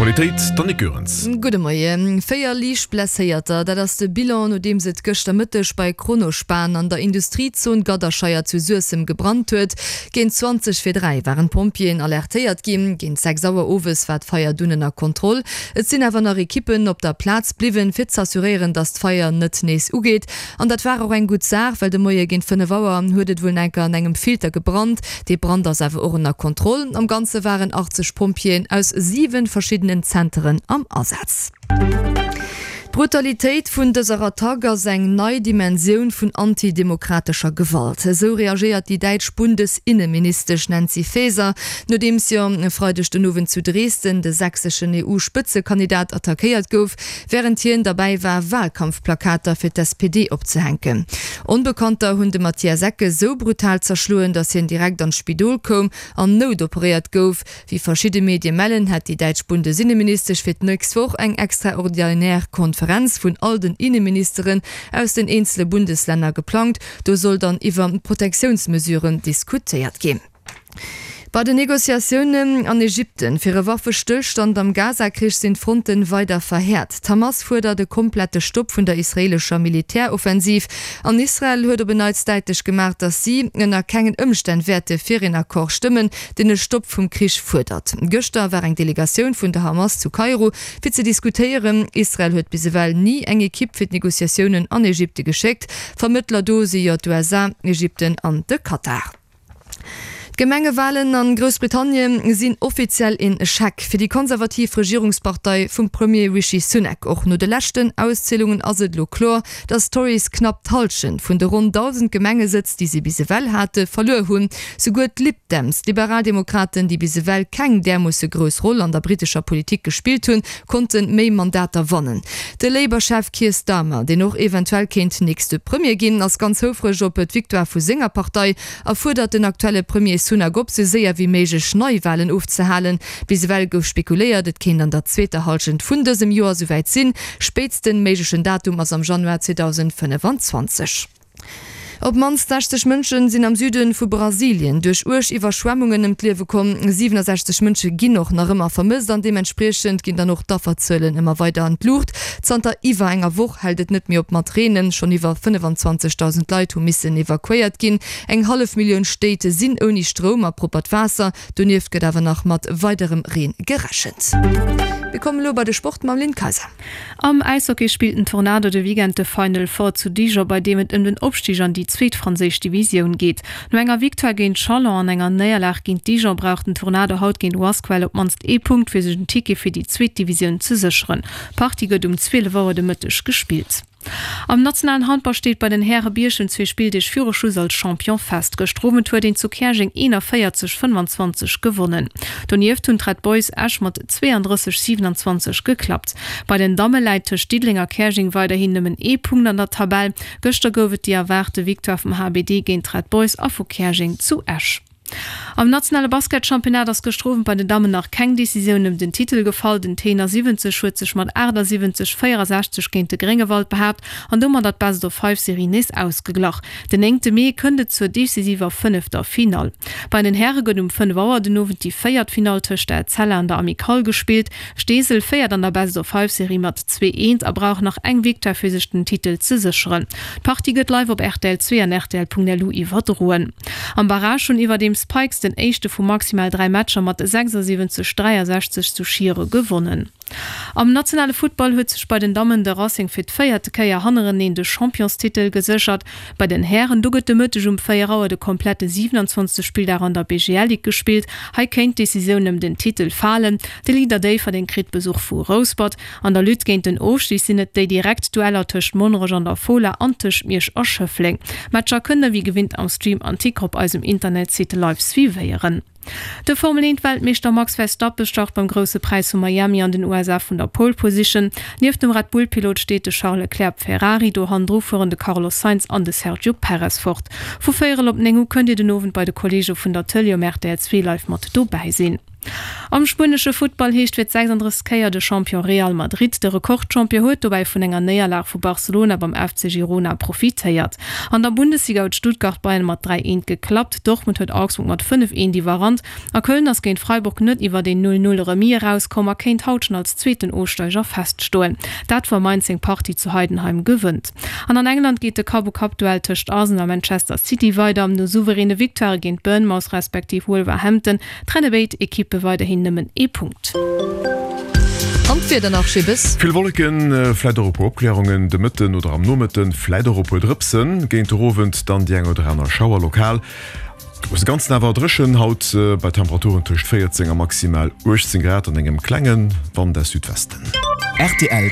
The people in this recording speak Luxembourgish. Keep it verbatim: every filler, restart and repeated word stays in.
D'Aktualitéit, d'Annick Goerens. Gudde Moien. Véier liicht Blesséierter, dat ass de Bilan, nodeems et gëschter Mëtteg bei Kronospan an der Industriezon Gadderscheier zu Suessem gebrannt huet. Géint zwanzeg vir dräi waren d'Pompjeeën alertéiert ginn. Géint sechs Auer owes war d'Feier dunn ënner Kontroll. Et sinn awer nach Ekippen op der Plaz bliwwen, fir z'assuréieren, datt d'Feier net nees ugeet. An dat war och eng gutt Saach, well de Moie géint fënnef Auer huet et wuel enker an engem Filter gebrannt. Dee Brand ass awer och ënner Kontroll. Am Ganze waren achtzeg Pompjeeën aus siwen verschiddenen Zenteren am Asaz. D'Brutalitéit vun dëser Attack ass eng nei Dimensioun vun antidemokratescher Gewalt. Esou reagéiert déi däitsch Bundesinneministesch Nancy Faeser, nodeems jo e Freideg den Owend zu Dresden de sächseschen E U-Spëtzekandidat attackéiert gouf, wärend hien derbäi war Walkampfplakater fir d'S P D opzehänken. Onbekannter hunn de Matthias Ecke sou brutal zerschloen, datt hien direkt an d'Spidol koum an noutoperéiert gouf. Wéi verschidde Medie mellen, hätt déi däitsch Bundesinneministesch fir d'nächst Woch eng extraordinär Konferenz vun all den Inneministeren aus den eenzele Bundeslänner geplangt. Do soll dann iwwer Protektiounsmesuren diskutéiert ginn. Bei den Negociatiounen an Ägypten fir e Waffestëllstand am Gaza-Krich sinn d'Fronten weider verhäert. D'Hamas fuerdert e komplette Stopp vun der israeelescher Militäroffensiv. An Israel huet op en Neits däitlech gemaach, datt si ënner kengen Ëmstänn wäerte fir een Accord stëmmen, deen e Stopp vum Krich fuerdert. Gëschter war eng Delegatioun vun der Hamas zu Kairo fir ze diskutéieren. Israel huet bis ewell ni eng Ekipp fir d'Negociatiounen an Ägypte geschéckt. Vermëttler do si jo d'U S A, Ägypten an de Katar. D'Gemengewalen an Groussbritannien sinn offiziell een Echec fir déi konservativ Regierungspartei vum Premier Rishi Sunak. Och no de leschten Auszielungen ass et elo kloer, datt d'Tories knapp d'Hallschent vun de ronn dausend Gemengesëtz, déi si bis ewell hate, verluer hunn. Souguer d'Lib Dems, d'Liberaldemokraten, déi bis ewell keng därmoosse grouss Roll an der brittescher Politik gespillt hunn, konnte méi Mandater wannen. De Labour-Chef Keir Starmer, deen och eventuell kéint nächste Premier ginn, ass ganz houfreg op d'Victoire vu senger Partei a fuerdert den aktuelle Premier Sunak op, sou séier wéi méiglech Neiwalen ofzehalen. Bis ewell gouf spekuléiert, et kéint an der zweeter Hallschent vun dësem Joer souwäit sinn. Spéitsten méiglechen Datum ass am Januar zweedausendfënnefenzwanzeg. Op d'mannst sechzeg Mënsche sinn am Süde vu Brasilien duerch uerg Iwwerschwemmungen ëm d'Liewe komm. Siewenundsechzeg Mënsche ginn och nach ëmmer vermësst an deementspriechend ginn dann och d'Afferzuelen ëmmer weider an d'Luucht. Zanter iwwer enger Woch hält et net méi op mat Reenen. Schonn iwwer fënnefenzwanzegdausend Leit hu missen evakuéiert ginn. Eng hallef Millioun Stéit sinn ouni Stroum a proppert Waasser. Donieft gëtt awer nach mat weiderem Reen gerechent. Mir kommen elo bei de Sport mam Lynn Kaiser. Am Äishockey spillt den Tornado de Weekend de Final Four zu Dijon, bei deem et ëm den Opstig an déi zweet franséisch Divisioun geet. No enger Victoire géint Chalon an enger Néierlag géint Dijon braucht den Tornado haut géint Wasquehal op d'mannst ee Punkt, fir sech en Ticket fir déi zweet Divisioun ze sécheren. D'Partie gëtt um zwielef Auer de Mëtteg gespillt. Am nationalen Handball steet bei den Häre Bierchem zwee Spilldeeg viru Schluss als Champion fest. Gëschter Owend huet een zu Käerjeng eenavéierzeg fënnwanzwanzeg gewonnen. Donieft hunn d'Red Boys Esch mat zweeandrësseg siewenundzwanzeg geklappt. Bei den Damme läit tëscht Diddeleng a Käerjeng weiderhin nëmmen ee Punkt an der Tabell. Gëschter gouf et déi erwaarte Victoire vum H B D géint d'Red Boys a vu Käerjeng zu Esch. Am nationale Basketchampionnat ass gëschter Owend bei den Dammen nach keng Decisioun ëm den Titel gefall. Den Tenor siwwenzeg huet sech mat achtundsiwwenzeg véierundsechzeg géint de Gréngewald behaapt an domat d'Best of Five Serie nees ausgeglach. Den néngte Mee kënnt et zur decisiver fënnefter Finall. Bei den Häre gëtt um fënnef Auer den Owend déi véiert Finall tëscht der Etzella an der Amicale gespillt. Steesel féiert an der Best of Five Serie mat zwee eent a brauch nach eng Victoire fir sech den Titel ze sécheren. D'Partie gëtt live op R T L zwee an R T L Punkt L U iwwerdroen. Am Barrage hunn iwwerdeem Spikes den éischte vu maximal dräi Matcher mat sechsundsiwwenzeg dräiundsechzeg zu Schiere gewonnen. Am nationale Football huet sech bei den Dammen de Racing fir d'véierte Kéier hannereneen de Championstitel geséchert. Bei den Hären do gëtt de Mëtteg um véier Auer de komplette siewenundzwanzegste Spilldag an der B G L Ligue gespillt. Hei kéint d'Decisioun ëm den Titel falen. De Leader Déifferdeng kritt Besuch vu Rouspert. An der Lutte géint den Ofstig sinn et déi direkt Dueller tëscht Monnerech an der Fola an tëscht Miersch a Schëffleng. Matcher kënne wéi gewinnt am Stream an Ticker op eisem Internetsite live suivéieren. De Formel eent Weltmeeschter Max Verstappen start beim Grousse Präis vu Miami an den U S A vun der Pole Position. Nieft dem Red Bull-Pilot steet de Charles Leclerc Ferrari, do hannendru fueren de Carlos Sainz an de Sergio Perez fort. Vu véierel op néng Uhr kënnt Dir den Owend bei de Kollege vun der Tëlee um R T L zwee live mat dobäi sinn. Am spuenesche Futtball heescht fir d'sechsanddrëssegst Kéier de Champion Real Madrid. De Rekordchampion huet dobäi vun enger Néierlag vu Barcelona beim F C Girona profitéiert. An der Bundesliga huet Stuttgart Bayern mat dräi eent geklappt, Dortmund huet Augsburg mat fënnef eent iwwerrannt a Köln ass géint Freiburg net iwwert een null null Remis erauskomm a kéint haut schonn als zweeten Ofsteiger feststoen. Dat wa Mainz seng Partie zu Heidenheim gewënnt. An an England geet de Kapp-u-Kapp-Duell tëscht Arsenal a Manchester City weider. No souveräne Victoirë géint Bournemouth respektiv Wolverhampton trenne béid Ekippe weiderhin nëmmen ee Punkt. An d'Wieder nach, Schibes. Vill Wolleken, vläit och e puer Opkläerungen de Mëtten oder am Nomëtten, vläit och e puer Drëpsen. Géint de Owend dann déi eng oder aner Schauer lokal. Grousse Ganzen awer dréchen haut bei Temperaturen tëscht véierzéng a maximal uechtzéng Grad an engem klenge Wand aus Südwesten. Rtl.